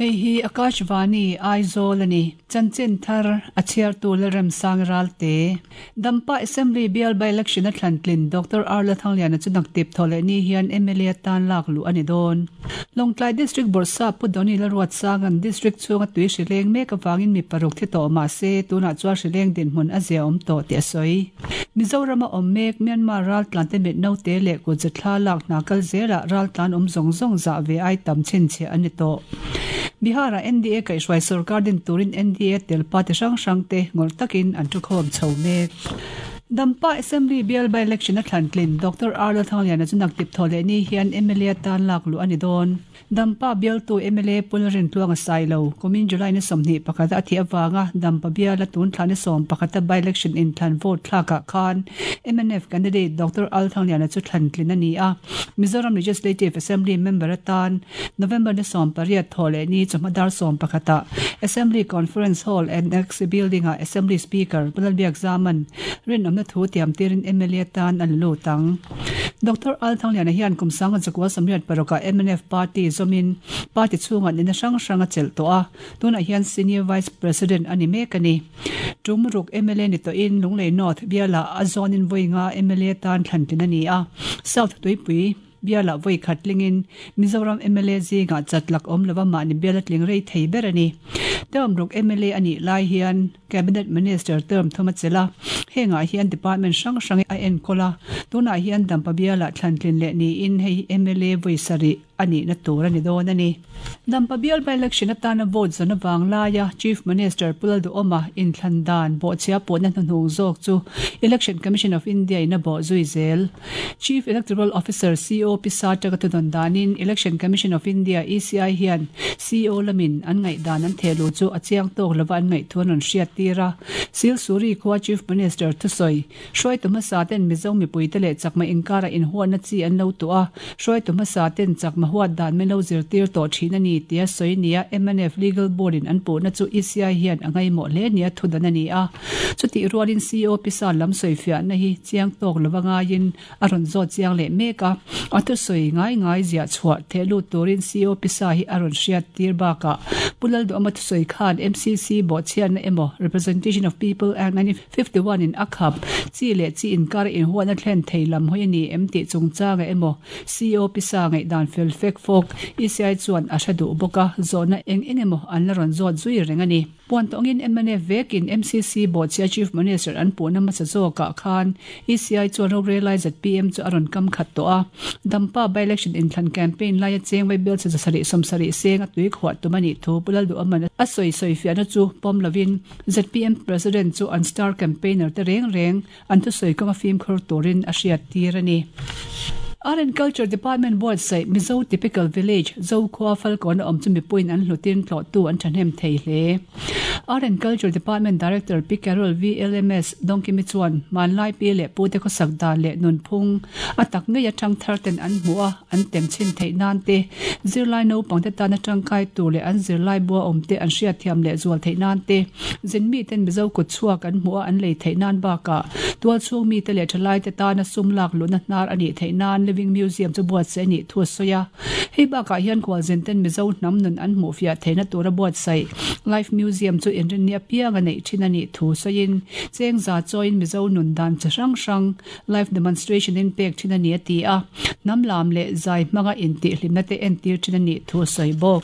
Hei hi Akashvani, Aizawl a ni. Chanchin thar a chhiartu Lalremsang Ralte. Dampa Assembly bial by-election a thlan tlin Doctor R Lalthangliana chu naktip thaw leh ni hian mla atan lak luh a ni dawn. Lawngtlai District Bawrhsap Pu Donny Lalruatsanga'n District chhunga tui hrileng mek avangin mi paruk thi tawh mah se tunah chuan hrileng dinhmun a zia awm tawh tih a sawi. Mizorama awm mek Myanmar raltlante mit naute leh kutze thla lak hna kal zelah raltlan awm zawng zawng zah ve ai tam chhinchhiah a ni tawh. Bihar-ah NDA kaihhruai sorkar din turin NDA tel party hrang hrangte ngawrh takin an thukhawm chho mek. Dampa Assembly bial by-election a thlan tlin Doctor R Lalthangliana chu naktip thaw leh ni hian mla tan lak luh a ni dawn. Dampa bialtu mla Pu Lalrintluanga Sailo, kumin July ni 21 a a thih avanga Dampa biala tun thla ni 11 a by-election inthlan vote thlakah khan mnf candidate Doctor Al Thangliana chu thlan tlin a ni a. Mizoram Legislative Assembly member atan November ni 18 thawh leh ni chawhma dar 11 ah Assembly Conference Hall Annexe Building ah Assembly Speaker Pu Lalbiak Zaman rinawmna thu tiam tirin mla atan a la lut ang. Doctor Al Thangliana hian kum sanga zakua 86 ah mnf party zawmin party chhungah nihna hrang hrang a chelh tawh a, tunah hian Senior Vice President a ni mek a ni. Tum ruk mla ni tawhin Lunglei North bialah a zawnin vawi nga mla tan thlan tlin a ni a, South Tuipui bialah vawi khat tlingin Mizoram mla zingah chat lak awm lova mahni biala tling rei thei ber a ni. Term ruk mla a nih lai hian Cabinet Minister term thum a chelh a, hengah hian department hrang hrang a enkawl a, tunah hian Dampa bialah thlantlin leh niin hei hi mla vawi sarih a nihna tur a ni dawn a ni. Dampa bial by-election atana vote zawn avang laia Chief Minister Pu Lalduhawma inthlan dan bawhchhia pawhna hnuhnung zawk chu Election Commission of India in a bawh zui zel. Chief Electoral Officer CO Pi Sartaka thudawn danin Election Commission of India, ECI, hian CO lamin an ngaihdan an theh luh chu a chiang tawk lova an ngaih thu an rawn hriat tir a. Silsuri khua Chief Minister thusawi, Hruaitu hmasa ten Mizo mipuite leh chakma inkarah inhuatna chi an lo tuah a, hruaitu hmasa ten chakma huat dan min lo zirtir tawh thin a ni tia sawi nia mnf Legal Board in an puhna chu ECI hian a ngaimawh hle nia thudan a ni a. Chutih rualin CO pisa lam sawifiahna hi chiang tawk lova ngaiin a rawn zawt chiang leh mek a, a thusawi ngai ngai ziah chhuah theh lut turin CO pisa hi a rawn hriat tir bakah Pu Lalduhama thusawi khan MCC bawhchhiatna emaw Representation of People Act 1951 in a khap chi leh chi inkar inhuatna thlen thei lam hawi a ni em tih chungchanga emaw CO pisa ngaihdan fel fek fawk ECI chuan a hre duh bawk a, zawhna eng eng emaw an la rawn zawt zui reng a ni. Puan tawngin mnf vekin MCC bawhchhia Chief Minister an puhna hmasa zawkah khan ECI chuan rorelai zpm chu a rawn kam khat tawh a. Dampa by-election inthlan campaign laia cheng vaibel chhe 770 seng a tui khuah tum a nih thu Pu Lalduhaman a sawi sawifiahna chu pawm lovin zpm President chu an star campaigner te reng reng an thusawi kawnga fimkhur turin a hriattir a ni. Art and Culture Department buatsaih Mizo Typical Village, Zokhua Falkawn a awm chu mipuiin an hlutin tlawhtu an thahnem thei hle. Art and Culture Department Director Pi Carol VLMS Dawngkimi chuan hmanlai pi leh pute khawsak dan leh nunphung a tak ngei atang thar ten an hmuh a, an tem chhin theih nan te, zirlai naupangte tana tangkai tur leh an zirlai bua awmte an hriatthiam leh zual theih nan te, zin miten Mizo kut chhuak an hmuh a an lei theih nan bakah tualchhung mite leh thalaite tana sum lak luhna hnar a nih theih nan Living Museum chu buatsaih a nih thu a sawi a. Hei bakah hian khualzinten Mizo hnam nun an hmuhfiah theihna tura buatsaih Life Museum chu inrinni apiang a neih thin a nih thu sawiin chengza chawiin Mizo nun dan chi hrang hrang Live demonstration in pek thin a ni a ti a, hnam lam leh zai hmanga intihhlimna te entir thin a nih thu a sawi bawk.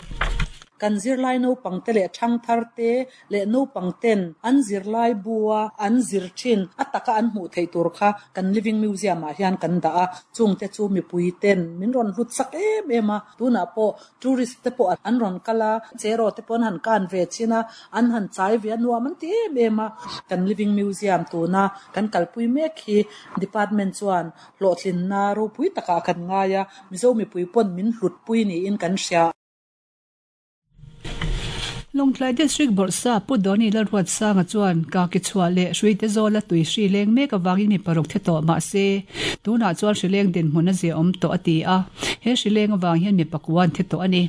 Kan zirlai naupangte leh thangtharte leh naupangten an zirlai bua an zir thin a taka an hmuh theih tur kha kan Living Museum ah hian kan dah a, chungte chu mipuiten min rawn hlut sak em em a, tunah pawh Tourist te pawh an rawn kal a, cheraw te pawh an han kan ve chin a, an han chai ve a, nuam an ti em em a. Kan Living Museum tuna kan kalpui mek hi Department chuan hlawhtlinna ropui takah kan ngai a, Mizo mipui pawn min hlutpui niin kan hria. Lawngtlai District Bawrhsa Pu Donny Lalruatsanga chuan Kaki chhuah leh Hruite zawla tui hri leng mek avangin mi paruk thi tawh mahse tunah chuan hri leng dinhmun a ziaawm tawh a ti a. He hri leng avang hian mi pakua an thi tawh a ni.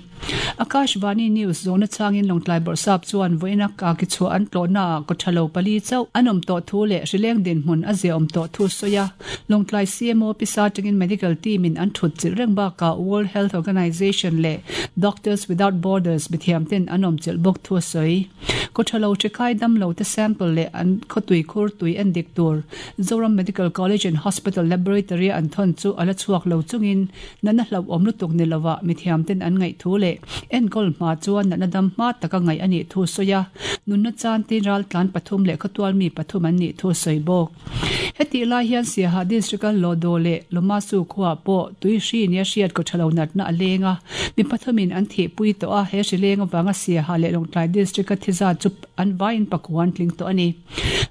Akashvani News zawhna changin Lawngtlai Bawrhsap chuan vawiina ka ki chhuah an tlawhnaah kawthalo pali chauh an awm tawh thu leh hri leng dinhmun a ziaawm tawh thu a sawi a. Lawngtlai CMO pisa atangin medical team in an thut chilh reng bakah World Health Organization leh Doctors Without Borders mithiam ten an awm chilh bawk thu a sawi. Kawthalo hrikhai damlo te sample leh an khawtui khur tui en dik tur Zoram Medical College and Hospital Laboratory a an thawn chu a la chhuak lo chungin natna hlauhawm lutuk ni lovah mithiam ten an ngaih thu leh enkawl hma chuan natna dam hma taka ngaih a nih thu sawi a, nunna chan tin raltlan pathum leh khawtual mi pathum an nih thu a sawi bawk. Hetih lai hian Siaha District-a Lodo leh Lomasu khuaah pawh tui hri nia hriat kaw tha lo natna a leng a, mi pathumin an thihpui tawh a, he hri leng avanga Siaha leh Lawngtlai District-a thi zat chu an vaiin pakua an tling tawh a ni.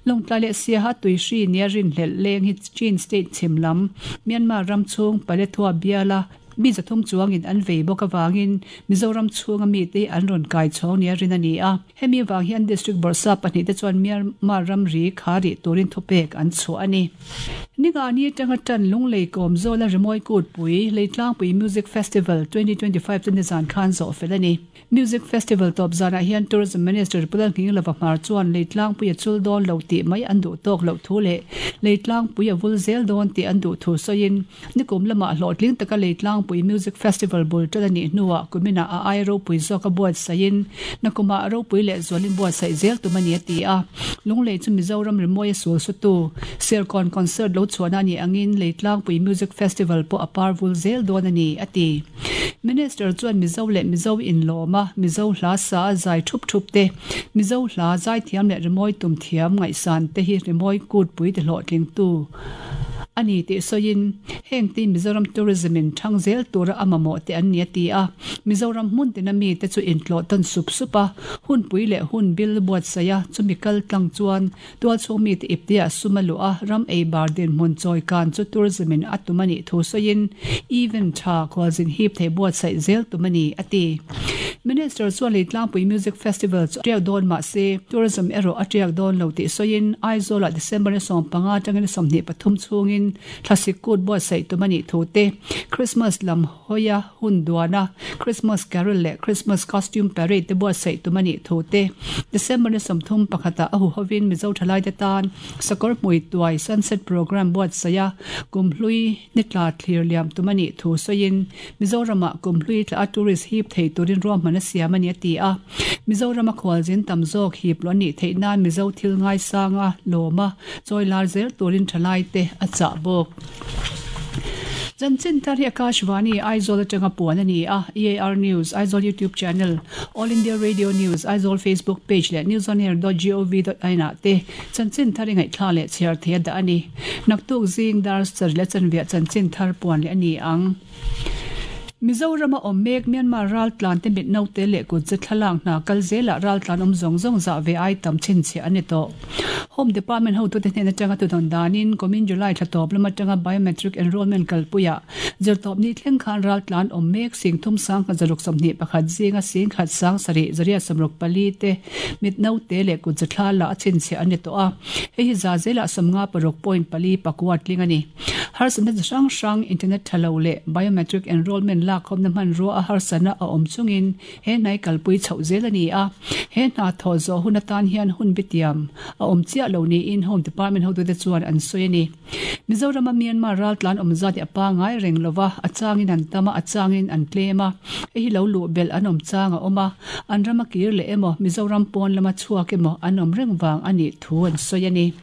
Lawngtlai leh Siaha tui hri nia rinhlelh leng hi Chin State chhim lam, Myanmar ram chhung Paletwa biala Mi zathum chuangin an vei bawk avangin Mizoram chhunga mite hi an rawn kai chhawng nia rin a ni a. Hemi vang hian District Bawrhsap pahnihte chuan Myanmar ramri kha rih turin thupek an chhuah a ni. Ningani atanga tan Lunglei Kawmzawla Rimawi Kutpui, Leitlangpui Music Festival 2025 chu nizan khan zawh fel a ni. Music Festival tawp zanah hian Tourism Minister Pu Lalnghinglova Hmar chuan Leitlangpui a chul dawn lo tih mai an duh tawk loh thu leh Leitlangpui a vul zel dawn tih an duh thu sawiin nikum lamah hlawhtling taka Leitlangpui Music Festival bul ṭan a nih hnuah kuminah a ai ropui zawk a buatsaihin nakumah ropui leh zualin buatsaih zel tum a ni a ti a. Lunglei chu Mizoram rimawi a sul sutu Serkawn Concert lo chhuahna a nih angin Leitlangpui Music Festival pawh a par vul zel dawn a ni a ti. Minister chuan Mizo leh Mizo inlawm a, Mizo hla sa a zai thup thup te, Mizo hla zaithiam leh rimawi tum thiam ngaihsan te hi rimawi kutpui ti hlawhtlingtu a ni tih sawiin, heng te Mizoram Tourism in thang zel tura a mamawh te an ni a ti a. Mizoram hmun tina mite chu intlawh tawn sup sup a, hunpui leh hun bil buatsaih a, chumi kal tlang chuan Tualchhung mite ipteah sum a luh a, ram ei bar dinhmun chawi kan chu tourism in a tum a nih thu sawiin event tha khualzin hip thei buatsaih zel tum a ni, a ti. Minister chuan Leitlangpui Music Festival chu a tiak dawn mah se, tourism erawh a tiak dawn lo tih sawiin Aizawlah December ni 15 atangin ni 23 chhungin thlasik kut buatsaih tum a nih thu te, Christmas lam hawia hun duana Christmas Carol leh Christmas Costume Parade te buatsaih tum a nih thu te, December ni 30 pakhatah a huhovin Mizo thalaite tan Sakawr Hmui Tuai Sunset Programme buatsaih a, Kumhlui ni tla thlir liam tum a nih thu sawiin Mizoramah Kumhlui tla a tourist hip thei turin ruahman a siam a ni a ti a. Mizorama khualzin tam zawk hip lo a nih theih nan Mizo thil ngaisanga lawma chawi lar zel turin thalaite a chah bawk. Chanchin thar hi Akashvani, Aizawl atanga puan a ni a, EAR News, Aizawl YouTube Channel, All India Radio News, Aizawl Facebook Page leh newsonair.gov.in ah te chanchin thar i ngaihthla leh chhiar thei a dah a ni. Naktuk zing dar sarih leh chanviah chanchin thar puan leh a ni ang. Mizorama awm mek Myanmar raltlan te mit naute leh kut ze thlalak hna kal zelah raltlan awm zawng zawng zah ve ai tam chhinchhiah a ni tawh. Home Department hotute hnen atanga tudawn danin kumin July thla tawp lam atanga Biometric Enrolment kalpuiah zirtawpni thleng khan raltlan awm mek singthum sangkhat zaruk 21 zinga singkhat sang sarih zariat 64 te mit naute leh kut ze thla la a chhinchhiah a ni tawh a, hei hi za zelah 56 point pali pakua tling a ni. Harsatna chi hrang hrang internet tha lo leh biometric enrolment lakkhawmna hmanrua a harsatna a awm chungin he hnai kalpui chhoh zel a ni a. He hna thawh zawh hun atan hian hun bitiam a awm chiah lo niin Home Department hotute chuan an sawi a ni. Mizorama Myanmar raltlan awm zat hi a pangai reng lo va, a changin an tam a, a changin an tlem a. Hei hi lo luh belh an awm chang a awm a, an rama kir leh emaw, Mizoram pawn lama chhuak emaw an awm reng vang a nih thu an sawi a ni.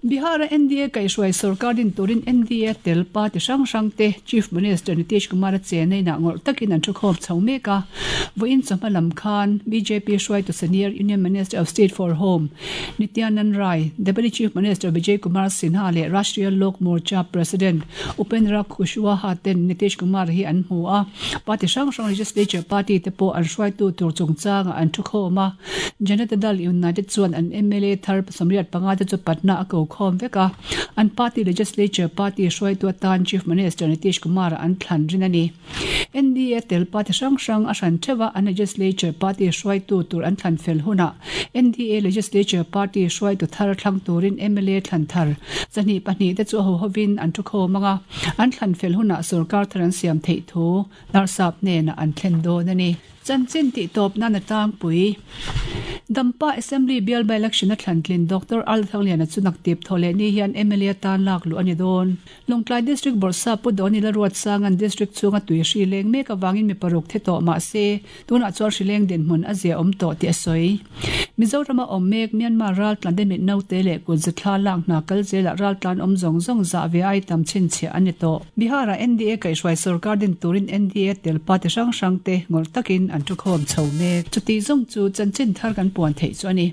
Bihar-a NDA kaihhruai sorkar din turin NDA tel party hrang hrang te Chief Minister Nitish Kumar-a chenna inah ngawrh takin an thukhawm chho mek a. Vawiin chawhma lam khan bjp hruaitu senior Union Minister of State for Home Nityanand Rai, Deputy Chief Minister Vijay Kumar Sinha leh Rashtriya Lok Morcha President Upendra Kushwaha ten Nitish Kumar hi an hmu a. Party hrang hrang Legislature party te pawh an hruaitu tur chungchangah an thukhawm a. Janata Dal United chuan an mla thar 75 te chu Patna a ko. khawm vek a, an party legislature party hruaitu atan Chief Minister Nitish Kumar-a an thlan rin a ni. NDA tel party hrang hrang a hran theuh a, an legislature party hruaitu tur an thlan fel hunah NDA legislature party hruaitu thar thlang turin mla thlan thar 22 te chu a hohovin an thu khawm ang a, an thlan fel hunah sorkar thar an siam theih thu Narsap hnenah an thlen dawn a ni. Chanchin tih tawp nan a tlangpui. Dampa Assembly bial by-election a thlantlin Doctor Al Thangliana chu naktip thaw leh ni hian mla tan lak luh a ni dawn. Lawngtlai District Bawrhsa Pu Dawni Lalruatsanga'n District chhunga tui hri leng mek avangin mi paruk thi tawh mah se, tunah chuan hri leng dinhmun a zia awm tawh tih a sawi. Mizorama awm mek Myanmar raltlan te mit naute leh kut zathla lak hna kal zelah raltlan awm zawng zawng zah ve ai tam chhinchhiah a ni tawh. Bihar-ah NDA kaihhruai sorkar din turin NDA tel party hrang hrang te ngawrh takin an thu khawm chho mek. Chuti zawng chu chanchin thar kan puan theih chu a ni.